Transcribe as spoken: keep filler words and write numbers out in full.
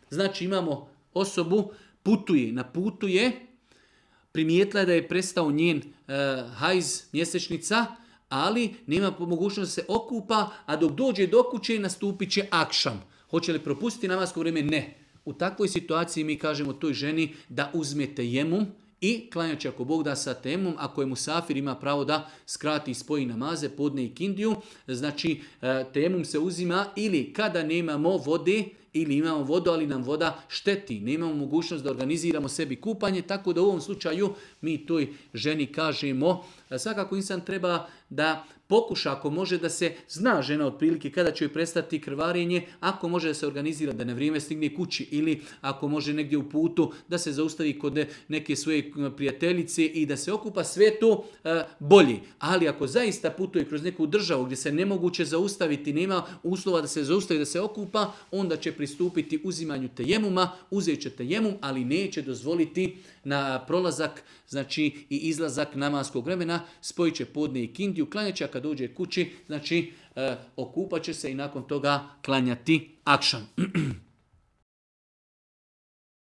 Znači imamo osobu, putuje, na putu je, primijetila je da je prestao njen uh, hajz, mjesečnica, ali nema mogućnost da se okupa, a dok dođe do kuće nastupit će akšam. Hoće li propustiti namasko vrijeme? Ne. U takvoj situaciji mi kažemo toj ženi da uzme tejemum i klanjaće ako Bog da sa temom, ako je musafir ima pravo da skrati i spoji namaze, podne i kindiju, znači temum se uzima ili kada nemamo vode, ili imamo vodu, ali nam voda šteti. Nemamo mogućnost da organiziramo sebi kupanje, tako da u ovom slučaju mi toj ženi kažemo, svakako insan treba da pokuša, ako može da se zna žena otprilike kada će joj prestati krvarenje, ako može da se organizira da na vrijeme stigne kući ili ako može negdje u putu da se zaustavi kod neke svoje prijateljice i da se okupa, sve to e, bolje. Ali ako zaista putuje kroz neku državu gdje se nemoguće zaustaviti, nema uslova da se zaustavi, da se okupa, onda će pristupiti uzimanju tejemuma, uzet će tejemum, ali neće dozvoliti na prolazak, znači i izlazak namaskog vremena, spojit će podne i kindiju, klanjat će, a kad dođe kući, znači e, okupat će se i nakon toga klanjati akšam.